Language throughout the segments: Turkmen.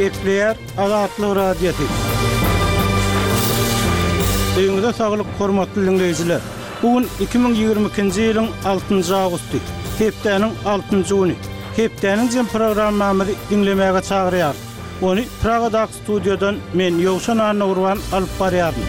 Gepleýär Azatlyk Radiosy. Öýüňize saglyk, hormatly diňleýjiler! Bu gün 2022-nji ýylyň altynjy awgusty, hepdäniň altynjy güni. Hepdäniň jem programmamyzy diňlemäge çagyrýarys. Ony Pragadaky studiýadan men, Ýowşan Annagurban alyp barýaryn.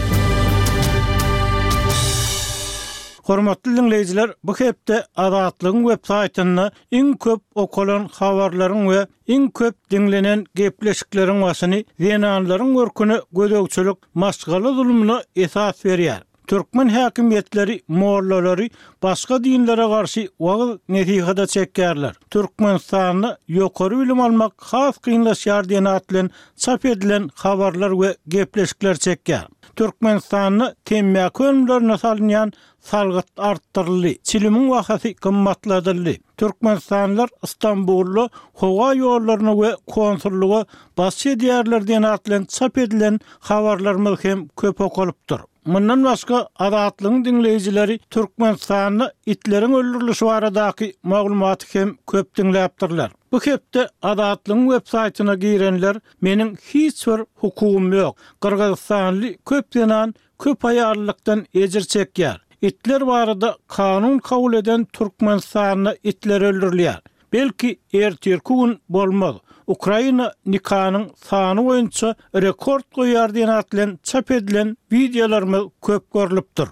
Hormatly diňleýjiler, bu hepde Azatlygyň web saýtynda iň köp okalan habarlaryň we iň köp diňlenen gepleşikleriň başyny zenanlaryň görküne gözegçilik maşgala zulumyna esas berýär. Türkmen häkimiýetleri mollalary başga dinlere garşy wagyz-nesihada çekýärler. Türkmenistanda ýokary bilim almak has kynlaşýar diýen at bilen çap edilen habarlar we gepleşikler çekýär. Türkmenistanda temmäki önümlerine salynýan salgyt artdyryldy, çilimiň bahasy gymmatladyldy. Türkmenistanlylar Stambulda howa ýollaryna we konsullyga basyş edýärler diýen at bilen çap edilen habarlarymyz hem köp okalypdyr. Mundan başga, Azatlygyň diňleýjileri Türkmenistanda itleriň öldürilişi baradaky maglumaty hem köp diňläpdirler. Bu hepde Azatlygyň websaýtyna girenler Meniň hiç bir hukugym ýok. Gyrgyzystanly köp zenan köp aýallykdan ejir çekýär. Itler barada kanun kabul eden Türkmenistanda itler öldürilýär. Belki ertirki gün bolmaz. Ukraina nikanyň sany boýunça rekord goýýar diýen at bilen çap edilen wideolarymyz köp görlüpdir.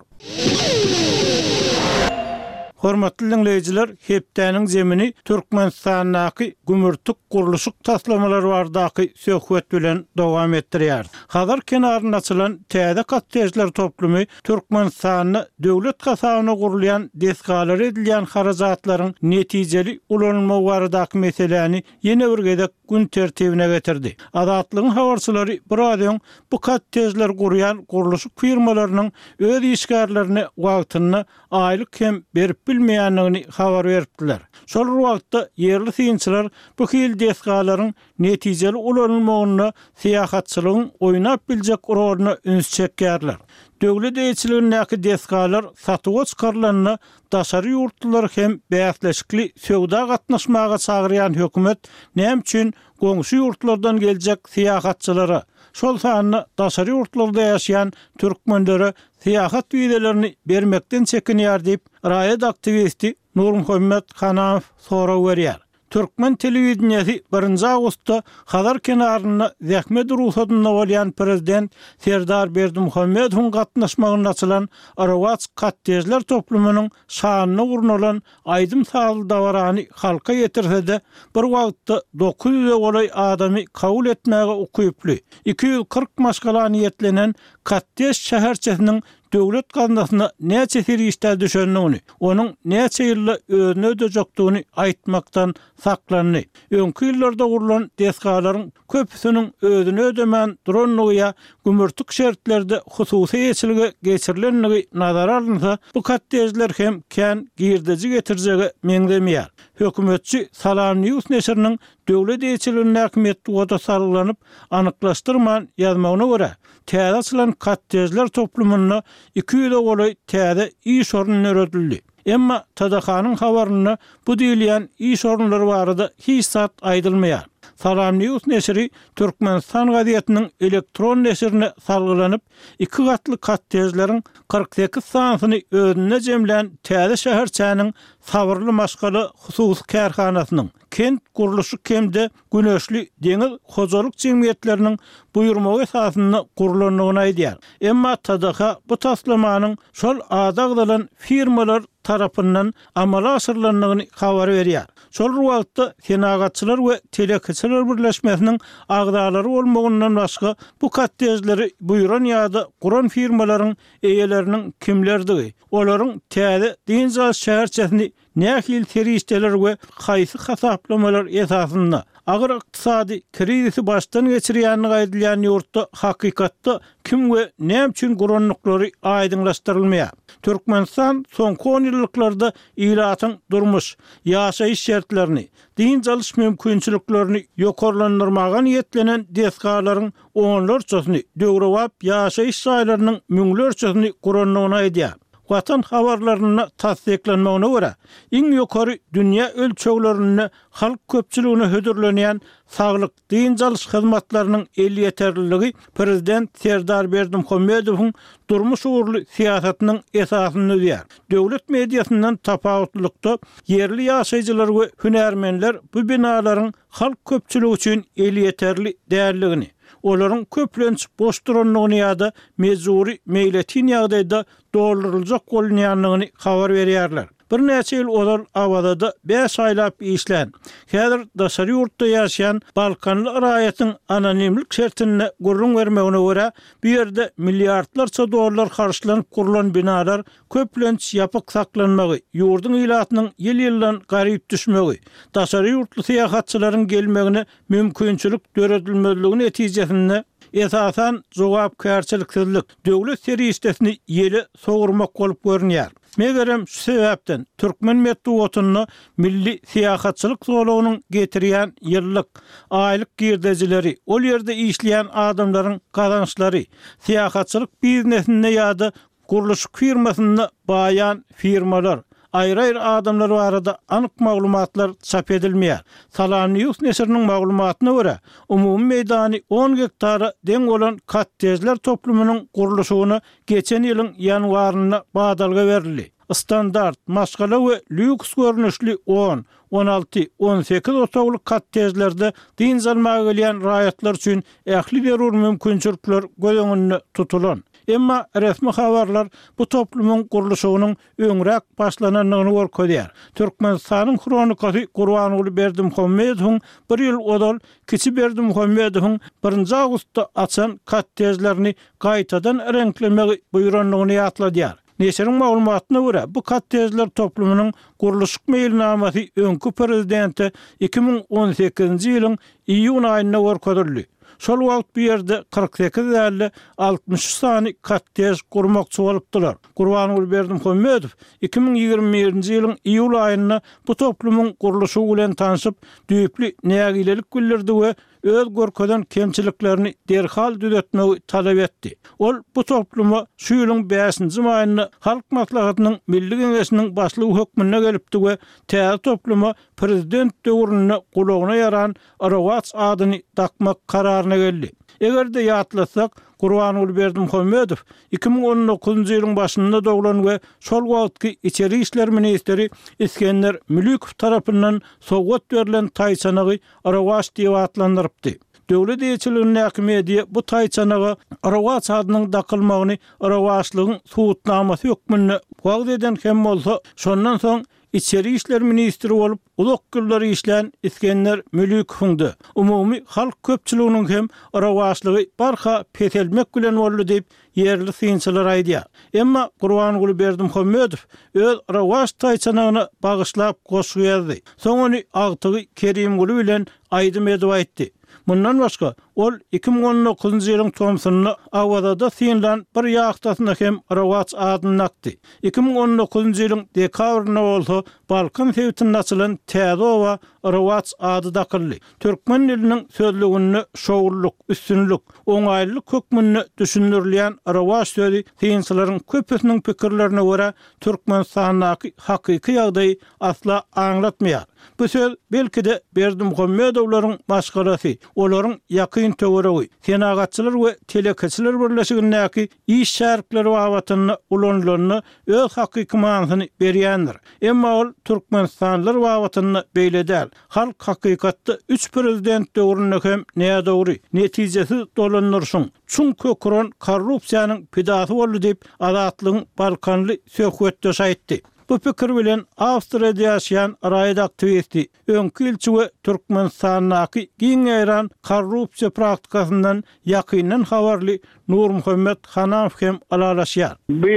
Hormatly diňleýjiler, hepdäniň zemini Türkmenistandaky gümürtik gurluşyk taslamalary baradaky söhbet bilen dowam etdirýäris. Hazar kenarynda açylan täze kottejler toplumy Türkmenistanda döwlet hasabyna gurulýan desgalara edilýän harajatlaryň netijeli ulanylmagy baradaky meseläni ýene bir gezek gün tertibine getirdi. Azatlygyň habarçylary biraz öň bu kottejleri gurýan gurluşyk firmalarynyň öz işgärlerine wagtynda aýlyk hem berip bilmeýändigini habar beripdiler. Şol bir wagtda, ýerli synçylar bu hili desgalaryň netijeli ulanylmagynda syýahatçylygyň oýnap biljek roluna üns çekýärler. Döwlet eýeçiligindäki desgalar satuwa çykarylanda daşary ýurtlulary hem bäsleşikli söwda gatnaşmaga çagyrýan hökümet näme üçin goňşy ýurtlardan geljek syýahatçylara, şol sanda daşary ýurtlarda ýaşaýan türkmenlere syýahat wizelerini bermekden çekinýär diýip, raýat aktiwisti Nurmuhammet Hanamow sorag berýär. Türkmen telewideniýesi birinji awgustda Hazar kenarynda zähmet rugsadynda bolýan prezident Serdar Berdimuhamedowyň gatnaşmagynda açylan Rowaç kottejler toplumynyň şanyna gurnalan aýdym-sazly dabarany halka ýetirse-de, bir wagtda 900-e golaý adamy kabul etmäge ukyply, 240 maşgala niýetlenen kottej şäherçesiniň döwlet gaznasyna näçe serişdä düşendigini, onuň näçe ýylda özüni ödejekdigini aýtmakdan saklandy. Öňki ýyllarda gurlan desgalaryň köpüsiniň özüni ödemän durandygy ýa gümürtik şertlerde hususy eýeçilige geçirilendigi nazara alynsa, bu kottejler hem kän girdeji getirjege meňzemeýär. Hökümetçi Salam News neşiriniň döwlet eýeçiligindäki metbugata salgylanyp, anyklaşdyrman ýazmagyna görä, Täze açylan kottejler toplumynda 200-e golaý täze iş orny döredildi. Emma TDH-nyň habarynda bu diýilýän iş orunlary barada hiç zat aýdylmaýar. Salam News neşiri Türkmenistan gazetiniň elektron neşirine salgylanyp, iki gatly kottejleriň 48 sanysyny özünde jemlän täze şäherçäniň Sabyrly maşgala hususy kärhanasynyň, Kent gurluşyk hem-de Güneşli deňiz hojalyk jemgyýetleriniň buýurmagy esasynda gurlandygyny aýdýar. Emma TDH bu taslamanyň şol ady agzalan firmalar tarapyndan amala aşyrylandygyny habar berýär. Şol bir wagtda, Senagatçylar we telekeçiler birleşmesiniň agzalary bolmagyndan başga bu kottejleri buýran ýa-da guran firmalaryň eýeleriniň kimlerdigi, olaryň täze dynç alyş şäherçesini Nähili serişdeler we haýsy hasaplamalar esasynda agyr ykdysady krizisi başdan geçirýändigi aýdylýan ýurtda hakykatda kim we näme üçin gurandyklary aýdyňlaşdyrylmaýar. Türkmenistan soňky onýyllyklarda ilatyň durmuş, ýaşaýyş şertlerini, dynç alyş mümkinçiliklerini ýokarlandyrmaga niýetlenen desgalaryň onlarçasyny, döwrebap ýaşaýyş jaýlarynyň müňlerçesini gurandygyny aýdýar. Watan habarlarynda tassyklanmagyna görä, iň ýokary dünýä ölçeglerinde halk köpçüligine hödürlenýän saglyk, dynç alyş hyzmatlarynyň elýeterliligi prezident Serdar Berdimuhamedowyň durmuş ugurly syýasatynyň esasyny düzýär. Döwlet mediasyndan tapawutlylykda, ýerli ýaşaýjylar we hünärmenler bu binalaryň halk köpçüligi üçin elýeterli däldigini, olaryň köplenç boş durandygyny ýa-da mejbury meýletin ýagdaýda dolduryljak bolunýandygyny habar berýärler. Birnäçe ýyl ozal Awazada bäş aýlap işlän, häzir daşary ýurtda ýaşaýan balkanly raýatyň anonimlik şertinde gürrüň bermegine görä, bu ýerde milliardlarça dollar harçlanyp gurlan binalar köplenç ýapyk saklanmagy, ýurduň ilatynyň ýyl-ýyldan garyp düşmegi, daşary ýurtly syýahatçylaryň gelmegine mümkinçilik döredilmezligi netijesinde, esasan, jogapkärçiliksizlik, döwlet serişdesini ýele sowurmak bolup görünýär. Megerem, şu sebäpden, türkmen metbugatynda milli syýahatçylyk zolagynyň getirýän ýyllyk, aýlyk girdejileri, ol ýerde işleýän adamlaryň gazançlary, syýahatçylyk biznesinde ýa-da Gurluşyk firmasynda baýan firmalar, aýry-aýry adamlar barada anyk maglumatlar çap edilmeýär. Salamnews neşiriniň maglumatyna görä, umumy meýdany on gektara deň bolan kottejler toplumynyň gurluşygyna geçen ýylyň ýanwarynda badalga berildi. Standart, maşgala we lýuks görnüşli on, 16, 18 otagly kottejlerde dynç almaga gelýän raýatlar üçin ähli zerur mümkinçilikler göz öňünde tutulan. Emma resmi habarlar bu toplumyň gurluşygynyň öňräk başlanandygyny görkezýär. Türkmenistanyň Hronikasy Gurbanguly Berdimuhamedowyň bir ýyl ozal kiçi Berdimuhamedowyň birinji awgustda açan kottejlerini gaýtadan reňklemegi buýrandygyny ýatladýar. Neşiriň maglumatyna görä, bu kottejler toplumynyň gurluşyk meýilnamasy öňki prezidente 2018-nji ýylyň iýun aýynda görkezildi. Şol wagt bu ýerde 48 däl-de, 63 sany kottej gurmakçy bolupdylar. Gurbanguly Berdimuhamedow 2021-nji ýylyň iýul aýynda bu toplumyň gurluşygy bilen tanşyp, düýpli nägilelik bildirdi we öz görkezen kemçiliklerini derhal düzetmegi talap etdi. Ol bu topluma şu ýylyň bäşinji maýynda Halk Maslahatynyň Milli Geňeşiniň başlygy hökmünde gelipdi we täze topluma prezident döwründe gulagyna ýaran Rowaç adyny dakmak kararyna geldi. Eger-de ýatlasak, Gurbanguly Berdimuhamedow 2019-njy ýylyň başynda doglan we şol wagtky içeri işler ministri Isgender Mülükow tarapyndan sowgat berlen taýçanagy Rowaç diýip atlandyrypdy. Döwlet eýeçiligindäki media bu taýçanaga Rowaç adynyň dakylmagyny rowaçlygyň subutnamasy hökmünde wagyz eden hem bolsa, şondan soň içeri işler ministri bolup uzak ýyllar işlän Isgender Mülükowyň-da, umumy halk köpçüliginiň hem rowaçlygy barha peselmek bilen boldy diýip, ýerli synçylar aýdýar. Emma Gurbanguly Berdimuhamedow öz rowaç taýçanagyna bagyşlap goşgy ýazdy. Soň ony agtygy Kerimguly bilen aýdym edip aýtdy. Mundan başga, ol 2019-njy ýylyň tomsunda Awazada synlan bir ýahtasyna hem Rowaç adyny dakdy. 2019-njy ýylyň dekabrynda bolsa Balkan sebitinde açylan täze oba Rowaç ady dakyldy. Türkmen diliniň sözlüginde şowlulyk, üstünlik, oňaýlylyk hökmünde düşündirilýän rowaç sözi synçylaryň köpüsiniň pikirlerine görä, Türkmenistandaky hakyky ýagdaýy asla aňlatmaýar. Bu söz, belki-de, Berdimuhamedowlaryň maşgalasy, olaryň ýakyn töweregi, Senagatçylar we telekeçiler birleşigindäki iş şärikleri babatynda ulanylanda öz hakyky manysyny berýändir. Emma ol türkmenistanlylar babatynda beýle däl. Halk hakykatda üç prezident döwründe hem nädogry, netijesiz dolandyryşyň, çuň kök uran korrupsiýanyň pidasy boldy diýip, Azatlygyň balkanly söhbetdeşi aýtdy. Bu pikir bilen Awstriýada ýaşaýan raýat aktiwisti, öňki ilçi we Türkmenistandaky giň ýaýran korrupsiýa praktikasyndan ýakyndan habarly Nurmuhammet Hanamow hem ylalaşýar. Bu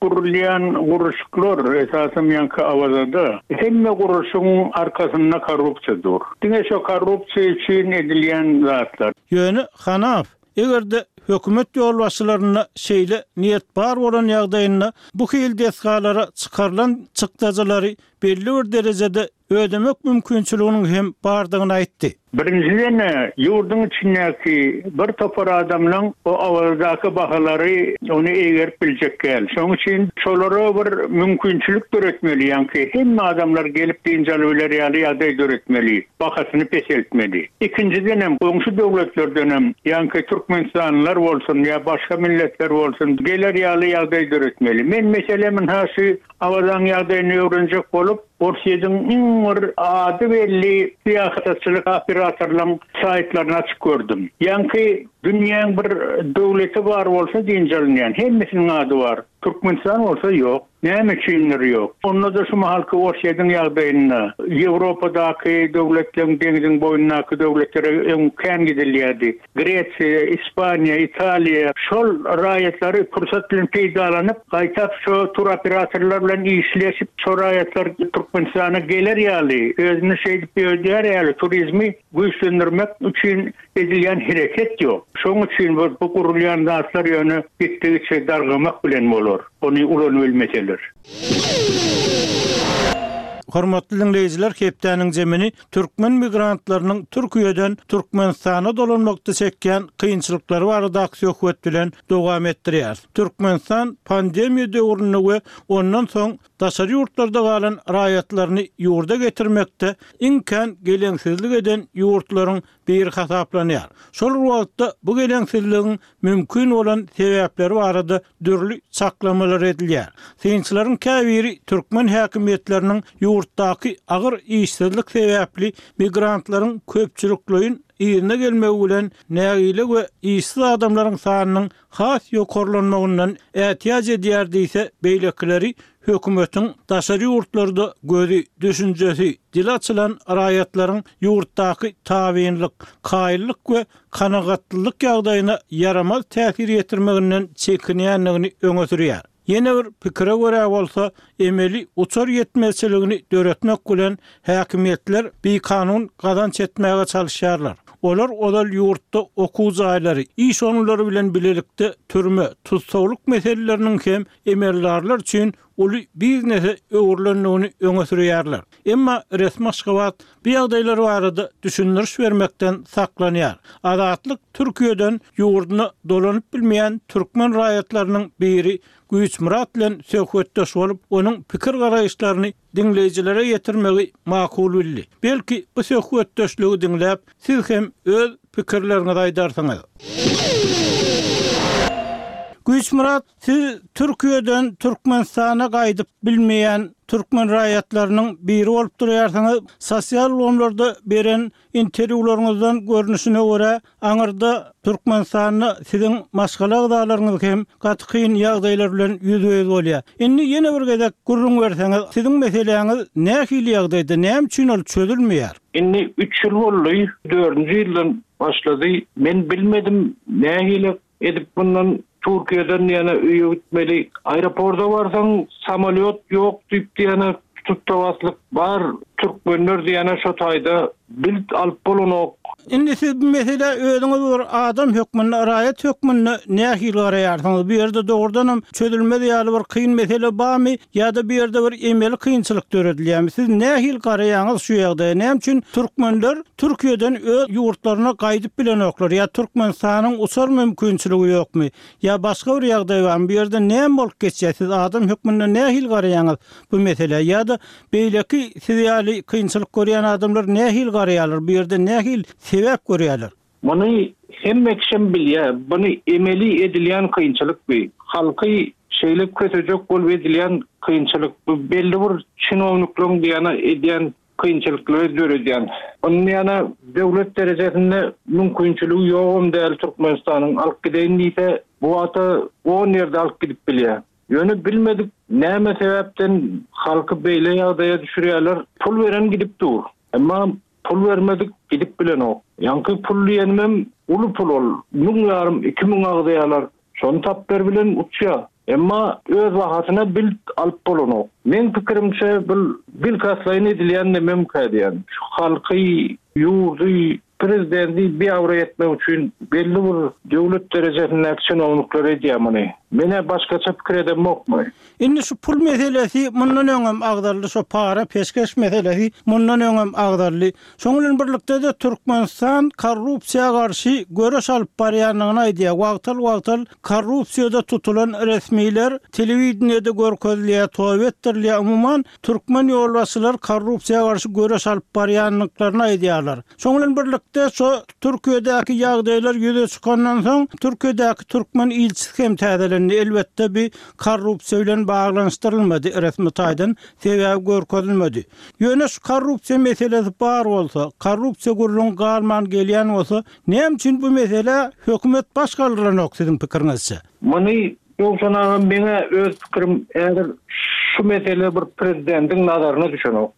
gurulýan gurluşyklar, esasam ýaňky Awazada, hemme gurluşygyň arkasynda korrupsiýa dur. Diňe şo korrupsiýa üçin edilýän zatlar. Ýöne Hanamow, eger-de hökümet ýolbaşçylarynda şeýle niýet bar bolan ýagdaýynda bu hili desgalara çykarylan çykdajylary belli bir derejede. ödemek mümkinçiliginiň hem bardygyny aýtdy. Birinjiden, ýurduň içindäki bir topar adamlaň o Awazadaky bahalary ony eýgerip biljek däl. Şonuň üçin şolara bir mümkinçilik döretmeli, ýaňky hemme adamlar gelip dynç alybiler ýaly ýagdaý döretmeli, bahasyny peseltmeli. Ikinjidenem, goňşy döwletlerdenem, ýaňky türkmenistanlylar bolsun ýa başga milletler bolsun, geler ýaly ýagdaý döretmeli. Men meselem ynha şu Awazaň ýagdaýyny öwrenjek bolup, Orsýetiň iň bir ady belli syýahatçylyk operatorlaryň saýtlaryny açyp gördüm. Ýaňky dünýäň bir döwleti bar bolsa dynç alynýan, hemmesiniň ady bar. Türkmenistan bolsa ýok. Näme üçindir ýok? Onda-da şu mahalky Orsýetiň ýagdaýynda, Ýewropadaky döwletleň deňziň boýundaky döwletlere öň kän gidilýärdi. Gresiýa, Ispaniýa, Italiýa şol raýatlary pursat bilen peýdalanyp, gaýtap şo turoperatorlar bilen işleşip, şo raýatlar Türkmenistana geler ýaly, özüni şeýdip ýöredýär ýaly turizmi güýçlendirmek üçin edilýän hereket ýok. Şoň üçin bu gurulýan zatlar ýöne gitdigiçe dargamak bilen bolar, ony ulanybilmeseler. Hormatly diňleýjiler hepdäniň jemini türkmen migrantlarynyň Türkiýeden Türkmenistana dolanmakda çekýän kynçylyklary baradaky söhbet bilen dowam etdirýäris. Türkmenistan pandemiýa döwründe we ondan soň daşary ýurtlarda galan raýatlaryny ýurda getirmekde iň kän geleňsizlik eden ýurtlaryň biri hasaplanýar. Şol bir wagtda bu geleňsizligiň mümkin bolan sebäpleri barada dürli çaklamalar edilýär. Synçylaryň käbiri türkmen häkimiýetleriniň ýurtdaky agyr işsizlik sebäpli migrantlaryň köpçülikleýin yzyna gelmegi bilen nägile we işsiz adamlaryň sanynyň has ýokarlanmagyndan ätiýaç edýär diýse, beýlekileri hökümetiň daşary ýurtlarda gözi, düşünjesi, dili açylan raýatlaryň ýurtdaky tabynlyk, kaýyllyk we kanagatlylyk ýagdaýyna ýaramaz täsir ýetirmeginden çekinýändigini öňe sürýär. Ýene bir pikire görä bolsa, emeli uçar ýetmezçiligini döretmek bilen häkimiýetler bikanun gazanç etmäge çalyşýarlar. Olar ozal ýurtda okuw jaýlary, iş orunlary bilen bilelikde türme, tussaglyk meseleleriniň hem emeldarlar üçin uly biznese öwrülendigini öňe sürýärler. Emma resmi Aşgabat bu ýagdaýlar barada düşündiriş bermekden saklanýar. Azatlyk Türkiýeden ýurduna dolanyp bilmeýän türkmen raýatlarynyň biri Güýçmyrat bilen söhbetdeş bolup, onuň pikir-garaýyşlaryny diňleýjilere ýetirmegi makul bildi. Belki, bu söhbetdeşligi diňläp, siz hem öz pikirleriňizi aýdarsyňyz. Güýçmyrat, siz Türkiýeden Türkmenistana gaýdyp bilmeýän türkmen raýatlarynyň biri bolup durýarsyňyz. Sosial ulgamlarda beren Interwýularyňyzdan görnüşine görä, aňyrda Türkmenistanda siziň maşgala agzalaryňyz hem gaty kyn ýagdaýlar bilen ýüzbe-ýüz bolýar. Indi ýene bir gezek gürrüň berseňiz, siziň meseläňiz nähili ýagdaýda, näme üçin ol çözülmeýär? Indi üç ýyl boldy, dördünji ýyldan başlady. Men bilmedim nähili Edip mundan Türkiýeden ýene öýe gitmeli. Aeroporda barsaň samolýot ýok diýip diýene tutdabaslyk bar. Türkmenler diýene şo taýda bilt alyp bolanok. Indi siz bu meselä özüňiz bir adam hökmünde, raýat hökmünde nähili garaýarsyňyz? Bu ýerde dogrudanam çözülmez ýaly bir kyn mesele barmy ýa-da bu ýerde bir emeli kynçylyk döredilýärmi? Siz nähili garaýaňyz şu ýagdaýa? Näme üçin türkmenler Türkiýeden öz ýurtlaryna gaýdyp bilenoklar ýa Türkmenistanyň uçar mümkinçiligi ýokmy ýa başga bir ýagdaý barmy bu ýerde näme bolup geçýär siz adam hökmünde nähili garaýaňyz bu meselä ýa-da beýleki siz ýaly kynçylyk görýän adamlar nähili garaýarlar bu ýerde nähili sebäp görýärler? Muny hemme kişem bilýär buny emeli edilýän kynçylyk bu halky şeýle kösejek bolup edilýän kynçylyk bu belli bir çinowniklaryň diýýäne edýän kynçylyklary döredýän. Onuň ýana döwlet derejesinde mümkinçiligi ýogam däl Türkmenistanyň alyp gideýin diýse bu wagta on ýerde alyp gidip bilýär. Ýöne bilmedik näme sebäpden halky beýle ýagdaýa düşürýärler. Pul beren gidip dur. Emma pul bermedik gidip bilenok. Ýaňky pul diýenimem uly pul ol. Müň ýarym 2000 agzaýarlar. Şony tapber bilen uçýar. Emma öz bahasyna bilt alyp bolanok. Meň pikirimçe bul bilkastlaýyn edilýän nememkä diýýän. Şu halky, ýurdy. Prezidenti biabraý etmek üçin belli bir döwlet derejesindäki çinownikler edýär muny. Men-ä başgaça pikir edemok muny. Indi şu pul meselesi mundan öňem agzaldy, şo para, peşgeş meselesi mundan öňem agzaldy. Şoň bilen birlikde-de Türkmenistan korrupsiýa garşy göreş alyp barýandygyny aýdýar. Wagtal-wagtal korrupsiýada tutulan resmiler telewideniýede görkezilýär, toba etdirilýär. Umuman, türkmen ýolbaşçylary korrupsiýa garşy göreş alyp barýandyklaryny aýdýarlar. Şoň bilen birlikde, şo Türkiýedäki ýagdaýlar ýüze çykandan soň, Türkiýedäki türkmen ilçisi hem täzelendi. Elbetde, bi korrupsiýa bilen baglanyşdyrylmady resmi taýdan, sebäbi görkezilmedi. Ýöne şu korrupsiýa meselesi bar bolsa, korrupsiýa gürrüňi galman gelýän bolsa, näme üçin bu meselä hökümet baş galdyranok siziň pikiriňizçe? Muny Ýowşan aga meňä öz pikirim häzir şu mesele bir prezidentiň nazaryna düşenok.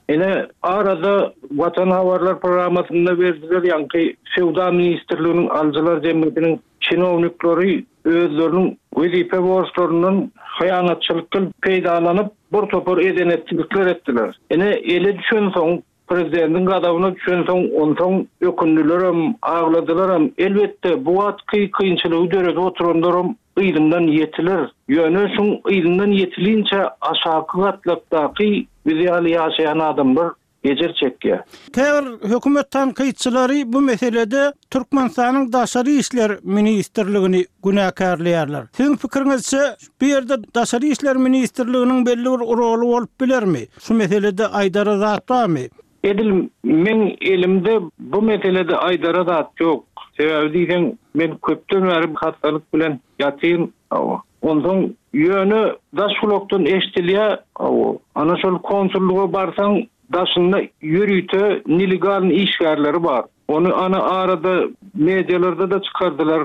Ine arada Watan habarlar programmasynda berdiler ýaňky söwda ministrliginiň alyjylar jemgyýetiniň çinownikleri özleriniň wezipe borçlaryndan hyýanatçylykdan peýdalanyp bir topar eden-etdilikler etdiler. Ine ele düşensoň Prezidentiň gazabyna düşensoň, onsoň ökündilerem, agladylaram. Elbetde, bu wagtky kynçylygy döredip oturanlaram yzyndan ýetiler. Ýöne şuň yzyndan ýetilinçä aşaky gatlakdaky biz ýaly ýaşaýan adamlar ejir çekýär. Käbir hökümet tankytçylary bu meselede Türkmenistanyň Daşary işler ministrligini günäkärleýärler. Siziň pikiriňizçe, bu ýerde Daşary işler ministrliginiň belli bir roly bolup bilermi? Şu meselede aýdara zat barmy? Edil meň elimde bu meselede aýdara zat ýok. Sebäbi diýseň, men köpden bäri hassalyk bilen ýatyryn. Hawa. Onsoň ýöne daş gulakdan eşdilýär, hawa, ana şol konsullyga barsaň, daşynda ýörite nelegalnyý işgärleri bar. Ony ana arada medialarda-da çykardylar,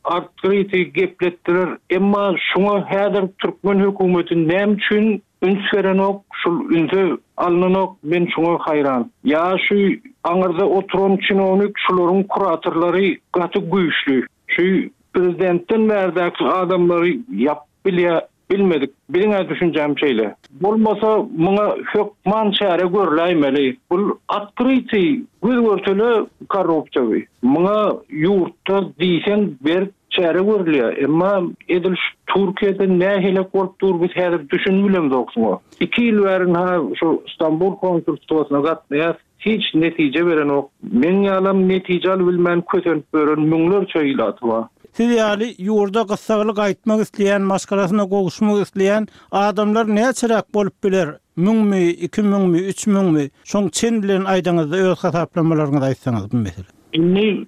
artgryty gepletdiler. Emma şuňa häzir türkmen hökümeti näme üçin üns berenok, şul ünse alnanok, men şuňa haýran. Ýa şu aňyrda oturan çinownik şularyň kuratorlary gaty güýçli. Şu prezidentden bärdäki adamlary ýapyp bilýä. Bilmedik. Biziň-ä düşünjäm şeýle. Bolmasa muňa hökman çäre görläýmeli. Bul otkrytyý, göz-görtele korrupsiýa bi. Muňa ýurtda diýseň berk çäre görülýär. Emma edil şu Türkiýede nähilek bolup dur biz häzir düşünibilemzok şuňa. Iki ýyl bäri ynha şu Stambul konsulstwasyna gatnaýas. Hiç netije berenok. Meň ýalam netije alybilmän kösenip ýören müňlerçe ilaty bar. Siz ýaly ýurda gyssagly gaýtmak isleýän, maşgalasyna gowuşmak isleýän adamlar näçeräk bolup biler? Müňmi, ikimüňmi, üçmüňmi? Şoň çen bilen aýdaňyzda öz hasaplamalaryňyzy aýtsaňyz bu mesele. Indi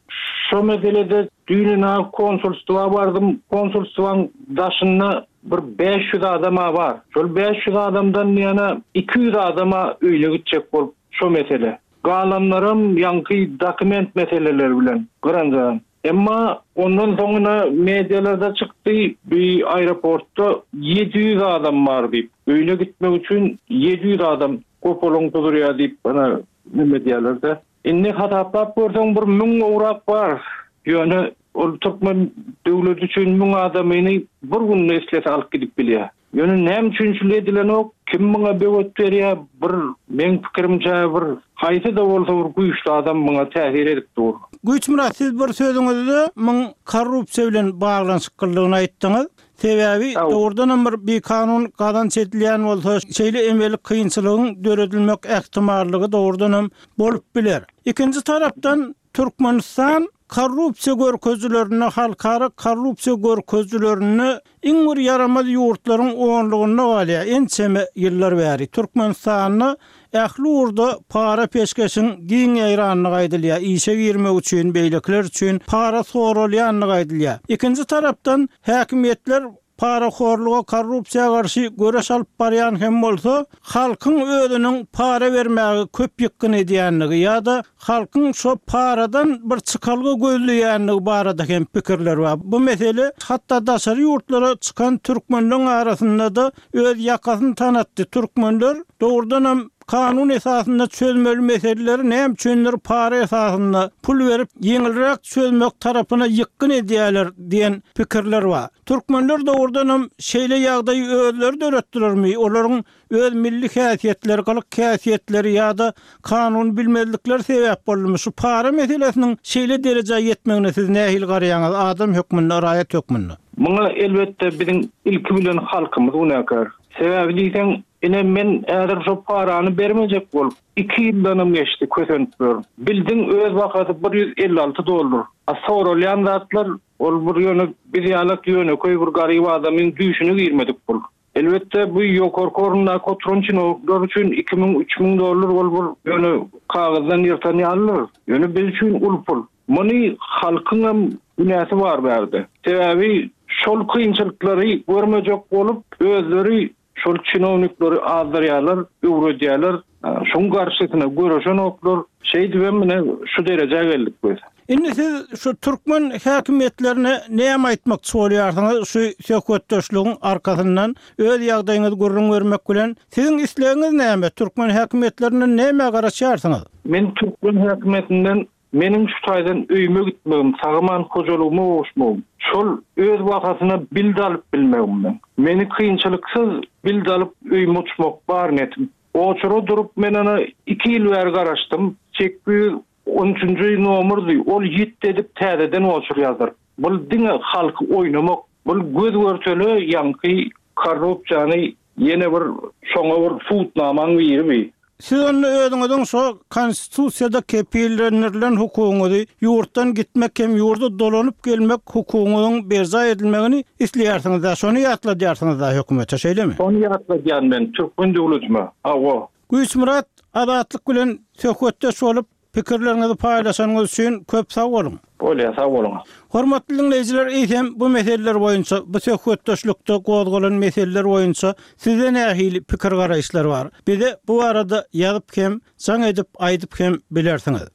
şo meselede düýn ynha konsulstwa bardym. Konsulstwaň daşynda bir 500 adam-a bar. Şol 500 adamdan ýene 200 adam-a öýüne gitjek bolup Şo mesele. Galanlaram ýaňky dokument meseleleri bilen gyranjaň. Emma ondan soňuna medialarda çykdy, bi aeroportda 700 adam bar diýip. Öýüne gitmek üçin 700 adam gopalaň durýar diýip, ana neme edýärler-de. Indi hasaplap görseň bir müň gowrak bar. Ýöne ol türkmen döwleti üçin müň adamyny bir günde islese alyp gidip bilýär. Ýöne näme üçin şul edilenok, kim muňa böwet berýär, bir meň pikirimçe bir haýsy-da bolsa bir güýçli adam muňa täsir edip dur. Güýçmyrat siz bir sözüňizde muň korrupsiýa bilen baglanyşyklydygyny aýtdyňyz. Sebäbi dogrudanam bir bikanun gazanç edilýän bolsa şeýle emeli kynçylygyň döredilmek ähtimallygy dogrudanam bolup biler. Ikinji tarapdan Türkmenistan korrupsiýa görkezijilerinde halkara korrupsiýa görkezijilerinde iň bir ýaramaz ýurtlaryň onlugynda galýar ençeme ýyllar bäri. Türkmenistanda ähli ugurda para-peşgeşiň giň ýaýrandygy aýdylýar, işe girmek üçin, beýlekiler üçin para soralýandygy aýdylýar. Ikinji tarapdan, häkimiýetler parahorluga, korrupsiýa garşy göreş alyp barýan hem bolsa, halkyň özüniň para bermäge köp ýykgyn edýändigi ýa-da halkyň şo paradan bir çykalga gözleýändigi barada hem pikirler bar. Bu mesele hatda daşary ýurtlara çykan türkmenleň arasynda-da öz ýakasyny tanatdy. Türkmenler dogrudanam. kanun esasynda çözmeli meseleleri näme üçindir para esasynda, pul berip ýeňilräk çözmek tarapyna ýykgyn edýärler diýen pikirler bar. Türkmenler dogrudanam şeýle ýagdaýy özleri döretdilermi, olaryň öz milli häsiýetleri, gylyk-häsiýetleri ýa-da kanuny bilmezlikleri sebäp boldumy? Şu para meselesiniň şeýle derejä ýetmegine siz nähili garaýaňyz adam hökmünde, raýat hökmünde? Muňa elbetde biziň ilki bilen halkymyz günäkär. Sebäbi diýseň, ine men häzir şo parany bermejek bolup, iki ýyldanam geçdi kösenip ýörün. Bildiň öz bahasy 156 dollar. A soralýan zatlar ol bir ýöne biz ýalak ýönekeý bir garyp adamyň düýşüne girmedik pul. Elbetde bu ýokarky orundaky oturan çinownikler üçin 2000, 3000 dollar ol bir ýöne kagyzdan ýyrtan ýalydyr. Ýöne biz üçin uly pul. Muny halkyňam günäsi bar bärde. Sebäbi şol kynçylyklary görmejek bolup özleri şol çinownikleri azdyrýarlar, öwredýärler. Şoň garşysyna göreşenoklar. Şeýdibem mine şu derejä geldik biz. Indi siz şu türkmen häkimiýetlerine näme aýtmakçy bolýarsyňyz şu söhbetdeşligiň arkasyndan öz ýagdaýyňyzy gürrüň bermek bilen siziň islegiňiz näme türkmen häkimiýetlerinden nämä garaşýarsyňyz? Men türkmen häkimiýetinden meniň şu taýdan öýüme gitmegim, sag-aman hojalygyma gowuşmagym, şol öz bahasyna bild alyp bilmegim meň. Meni kynçylyksyz bild alyp öýüme uçmak bar netim. Oçura durup men ana iki ýyl bäri garaşdym. 813-nji nomerdi, ol ýitdi edip täzeden oçur ýazdyryp. Bul diňe halky oýnamak, bul göz-görtele ýaňky korrupsiýany ýene bir şoňa bir subutnamaň biri bi. Siz onda özüňiziň şo konstitusiýada kepillendirilen hukugyňyzy, ýurtdan gitmek hem ýurda dolanyp gelmek hukugyňyzyň berjaý edilmegini isleýärsiňiz-dä, şony ýatladýarsyňyz-da hökümete, şeýlemi? Şony ýatladýan men türkmen döwletime, hawa. Güýçmyrat, Azatlyk bilen söhbetdeş bolup, pikirleriňizi paýlaşanyňyz üçin köp sag boluň! Bolýar, sag boluň! Hormatly diňleýjiler, eýsem, bu meseleler boýunça, bu söhbetdeşlikde gozgalan meseleler boýunça sizde nähili pikir-garaýyşlar bar? Bize bu barada ýazyp hem, jaň edip aýdyp hem bilersiňiz.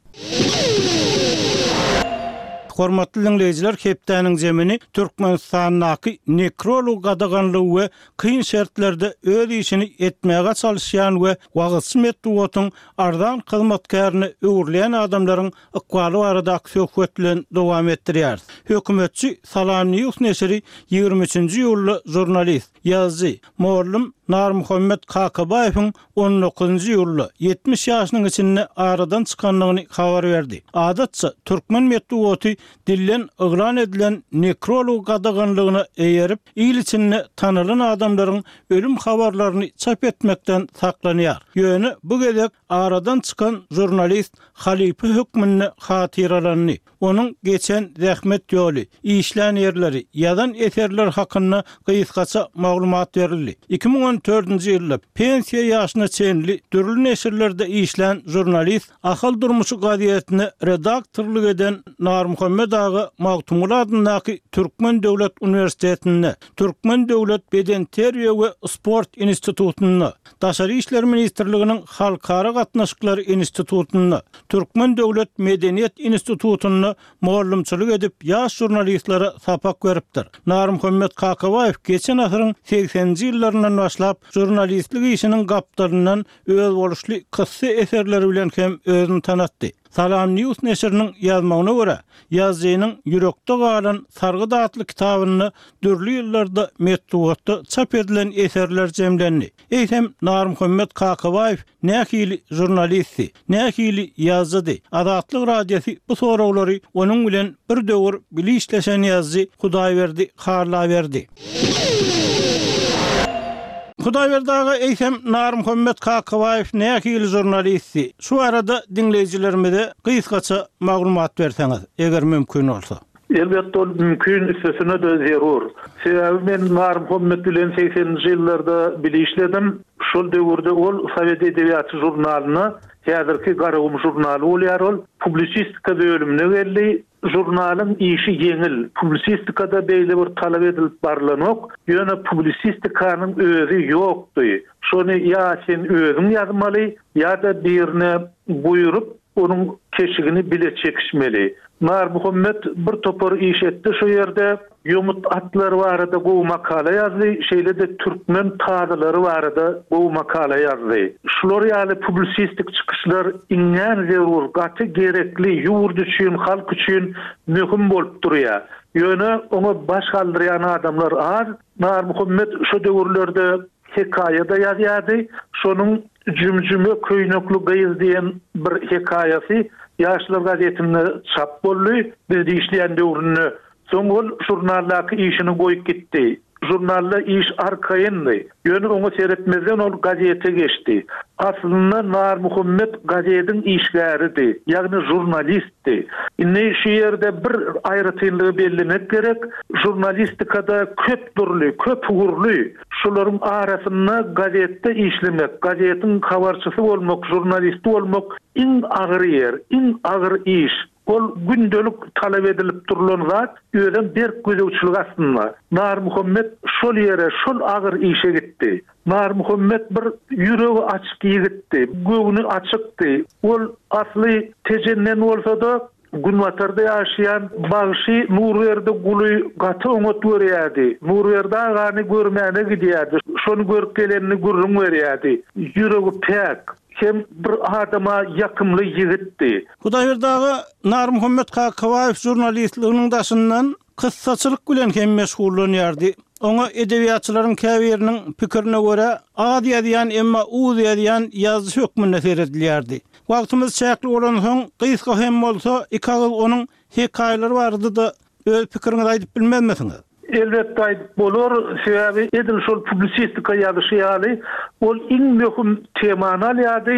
Hormatly diňleýjiler, hepdäniň zemini Türkmenistandaky nekrolog gadaganlygy we kyn şertlerde öz işini etmäge çalyşýan we wagyzçy metbugatyň arzan hyzmatkärine öwrülýän adamlaryň ykbaly baradaky söhbet bilen dowam etdirýäris. Hökümetçi Salam News neşiri 23-nji iýulda žurnalist, ýazyjy, mugallym Narmuhammet Kakabaýewiň on dokuzynjy iýulda, 70 ýaşynyň içinde aradan çykandygyny habar berdi. Adatça, türkmen metbugaty dilden yglan edilen nekrolog gadaganlygyna eýerip, il içinde tanalan adamlaryň ölüm habarlaryny çap etmekden saklanýar. Ýöne bu gezek aradan çykan žurnalist halypa hökmünde hatyralandy. Onuň geçen zähmet ýoly, işlän ýerleri, ýazan eserleri hakynda gysgaça maglumat berildi. 2014-nji ýylda pensiýa ýaşyna çenli dürli neşirlerde işlän žurnalist Ahal durmuşy gazetine redaktorlyk eden Narmuhammet aga Magtymguly adyndaky Türkmen döwlet uniwersitetinde, Türkmen döwlet bedenterbiýe we sport institutynda, Daşary işler ministrliginiň Halkara gatnaşyklary institutynda, Türkmen döwlet medeniýet institutynda mugallymçylyk edip, ýaş žurnalistlere sapak beripdir. Narmuhammet Kakabaýew geçen asyryň segseninji ýyllaryndan başlap žurnalistlik işiniň gapdalyndan özboluşly kyssa eserleri bilen hem özüni tanatdy. Salam News neşiriniň ýazmagyna görä, ýazyjynyň Ýürekde galan sargyt atly kitabynda dürli ýyllarda metbugatda çap edilen eserler jemlendi. Eýsem, Narmuhammet Kakabaýew nähili žurnalistdi? Nähili ýazyjydy? Azatlyk Radiosy bu soraglary onuň bilen bir döwür bile işleşen ýazyjy Hudaýberdi Halla berdi. Hudaýberdi aga, eýsem, Narmuhammet Kakabaýew nähili žurnalistdi? Şu barada diňleýjilerimize gysgaça maglumat berseňiz, eger mümkin bolsa. Elbetde ol mümkin, üstesine-de zerur. Sebäbi men Narmuhammet bilen segseninji ýyllarda bile işledim. Şol döwürde ol Sowet edebiýaty žurnalyna, häzirki Garagum žurnaly bolýar ol, publisistika bölümine geldi. Žurnalyň işi ýeňil, publisistikada beýle bir talap edilip barlanok, ýöne publisistikanyň özi ýokdy. Şony ýa sen özüň ýazmaly, ýa-da birine buýrup. onuň keşigini bile çekişmeli. Narmuhammet bir topar iş etdi şu ýerde. Ýomut atlary barada gowy makala ýazdy, şeýle-de türkmen tazylary barada gowy makala ýazdy. Şular ýaly publisistik çykyşlar iňňän zerur, gaty gerekli, ýurt üçin, halk üçin möhüm bolup durýar. Ýöne oňa baş galdyrýan adamlar az. Narmuhammet şo döwürlerde hekaýa-da ýazýardy. Şonuň Jümjüme köýnekli gyz diýen bir hekaýasy Ýaşlar gazetinde çap boldy. Bizde işleýän döwründe. Soň ol žurnaldaky işini goýup gitdi. Žurnalda iş arkaýyndy. Ýöne oňa seretmezden ol gazete geçdi. Aslynda Narmuhammet gazediň işgäridi, ýagny žurnalistdi. Indi şu ýerde bir aýratynlygy bellemek gerek, žurnalistikada köp dürli, köp ugurly, şolaryň arasynda gazetde işlemek, gazetiň habarçysy bolmak, žurnalisti bolmak iň agyr ýer, iň agyr iş. Ol gündelik talap edilip durlan zat, özem berk gözegçilik astynda. Narmuhammet şol ýere, şol agyr işe gitdi. Narmuhammet bir ýüregi açyk ýigitdi, göwni açykdy. Ol asly Tejenden bolsa-da, günbatarda ýaşaýan bagşy Nurberdi Guly gaty oňat görýärdi. Nurberdi agany görmäne gidýärdi, şony görüp gelenini gürrüň berýärdi. Ýüregi päk. Hem bir adama ýakymly ýigitdi. Hudaýberdi aga Narmuhammet Kakabaýew žurnalistliginiň daşyndan kyssaçylyk bilen hem meşgullanýardy. Oňa edebiýatçylaryň käbiriniň pikirine görä, az ýazýan, emma uz ýazýan ýazyjy hökmünde seredilýärdi. Wagtymyz çäkli bolansoň, gysga hem bolsa, iki agyz onuň hekaýalary barada-da öz pikiriňizi aýdyp bilmezmisiňiz? Elbetde aýdyp bolar, sebäbi edil şol publisistika ýazyşy ýaly, ol iň möhüm temany alýardy,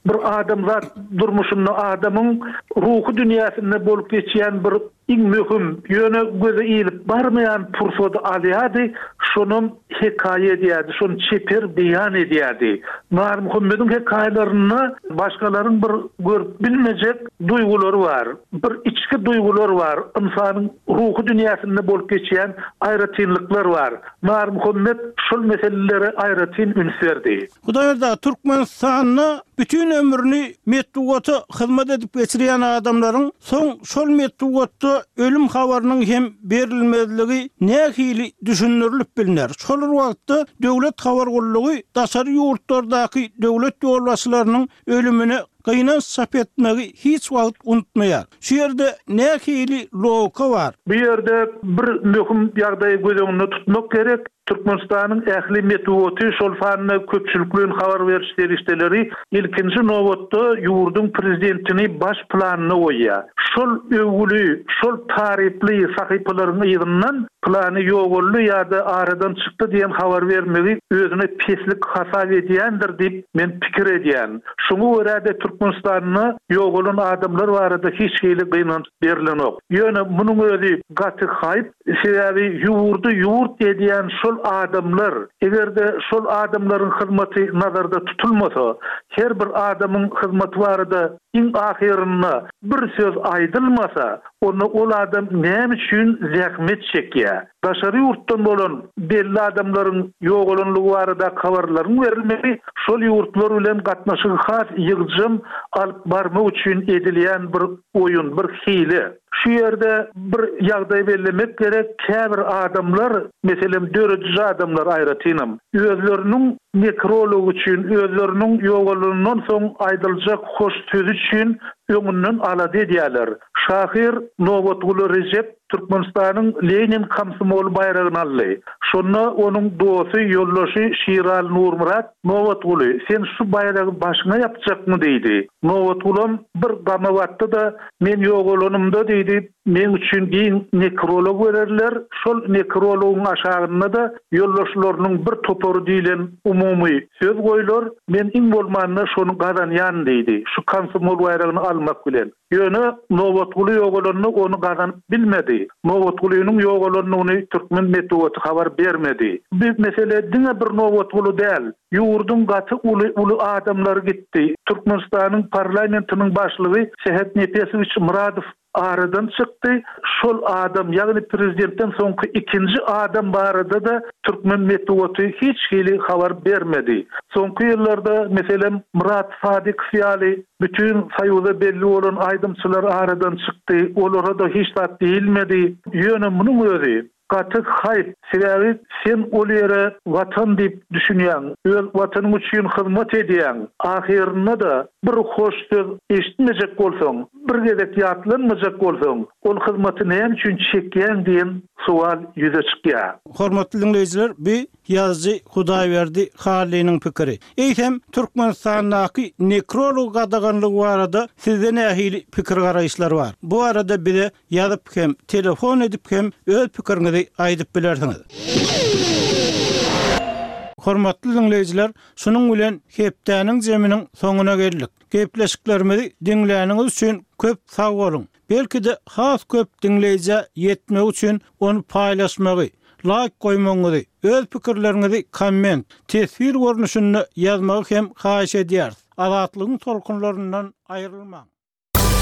bir adamzat durmuşynda adamyň ruhy dünýäsinde bolup geçýän bir iň möhüm, ýöne göze ilip barmaýan pursady alýardy, şonam hekaýa edýärdi, şony çeper beýan edýärdi. Narmuhammediň hekaýalarynda başgalaryň bir görüp bilmejek duýgulary bar, bir içki duýgular bar, ynsanyň ruhy dünýäsinde bolup geçýän aýratynlyklar bar. Narmuhammet şol meselelere aýratyn üns berdi. Hudaýberdi aga, Türkmenistanda bütin ömrüni metbugata hyzmat edip geçirýän adamlaryň soň şol metbugatda ölüm habarynyň hem berilmezligi nähili düşündirilip bilner? Şol bir wagtda döwlet habar gullugy daşary ýurtlardaky döwlet ýolbaşçylarynyň ölümine gynanç çap etmegi hiç wagt unutmaýar. Şu ýerde nähili logika bar? Bu ýerde bir möhüm ýagdaýy göz öňünde tutmak gerek. Türkmenistanyň ähli metbugaty, şol sanda köpçülikleýin habar beriş serişdeleri ilkinji nobatda ýurduň prezidentini baş planda goýýar. Şol öwgüli, şol taryply sahypalaryň yzyndan pylany ýogaldy ýa-da aradan çykdy diýen habary bermegi özüne peslik hasap edýändir diýip, men pikir edýän. Şoňa görä-de Türkmenistanda ýogalan adamlar barada hiç hili gynanç berlenok. Ýöne munuň özi gaty haýp, sebäbi ýurdy ýurt edýän şol adamlar, eger-de şol adamlaryň hyzmaty nazarda tutulmasa, her bir adamyň hyzmaty barada iň ahyrynda bir söz aýdylmasa, onda ol adam näme üçin zähmet çekýär? Daşary ýurtdan bolan belli adamlaryň ýogalanlygy baradaky habarlaryň berilmegi şol ýurtlar bilen gatnaşygy has ýygjam alyp barmak üçin edilýän bir oýun, bir hile. Şu ýerde bir ýagdaýy bellemek gerek, käbir adamlar, meselem, dörediji adamlar aýratynam, özleriniň nekrology üçin, özleriniň ýogalanyndan soň aýdyljak hoş sözi üçin öňünden alada edýärler. Şahyr Nobatguly Rejep Türkmenistanyň Lenin komsomoly baýragyny aldy. Şonda onuň dosty, ýoldaşy Şiraly Nurmyrat, Nobatguly, sen şu baýragy başyňa ýapjakmy? diýdi. Nobatgulam bir gama batdy-da, Men ýogalanymda, diýdi, meň üçin giň nekrolog bererler, şol nekrologyň aşagynda-da ýoldaşlarynyň bir topary diýlen umumy söz goýlar, men iň bolmanda şony gazanýan, diýdi, şu komsomol baýragyny almak bilen. Ýöne Nobatguly ýogalanda ony gazanyp bilmedi. Nobatgulynyň ýogalandygyny türkmen metbugaty habar bermedi. Bu mesele diňe bir Nobatguly däl. Ýurduň gaty uly uly adamlary gitdi. Türkmenistanyň parlamentiniň başlygy Sähet Nepesowiç Myradow. aradan çykdy. Şol adam, ýagny prezidentden soňky ikinji adam barada-da türkmen metbugaty hiç hili habar bermedi. Soňky ýyllarda, meselem, Myrat Sadykow ýaly bütin Soýuza belli bolan aýdymçylar aradan çykdy, olara-da hiç zat diýilmedi. Ýöne munuň özi Gaty haýp, sebäbi sen ol ýere Watan diýip düşünýäň, öz Watanyň üçin hyzmat edýäň, ahyrynda-da bir hoş söz eşitmejek bolsaň, bir gezek ýatlanmajak bolsaň, ol hyzmaty näme üçin çekýäň diýen sowal ýüze çykýar. Hormatly diňleýjiler, bu ýazyjy Hudaýberdi Hallynyň pikiri. Eýsem, Türkmenistandaky nekrolog gadaganlygy barada sizde nähili pikir-garaýyşlar bar? Bu barada bize Ýazyp hem, telefon edip hem öz pikiriňizi aýdyp bilersiňiz. Hormatly diňleýjiler, şunuň bilen hepdäniň jeminiň soňuna geldik. Gepleşiklerimizi diňläniňiz üçin köp sag boluň. Belki-de has köp diňleýjä ýetmegi üçin ony paýlaşmagy, laýk goýmagyňyzy, öz pikirleriňizi komment, teswir görnüşinde ýazmagy hem haýyş edýäris. Azatlygyň tolkunlaryndan aýrylmaň!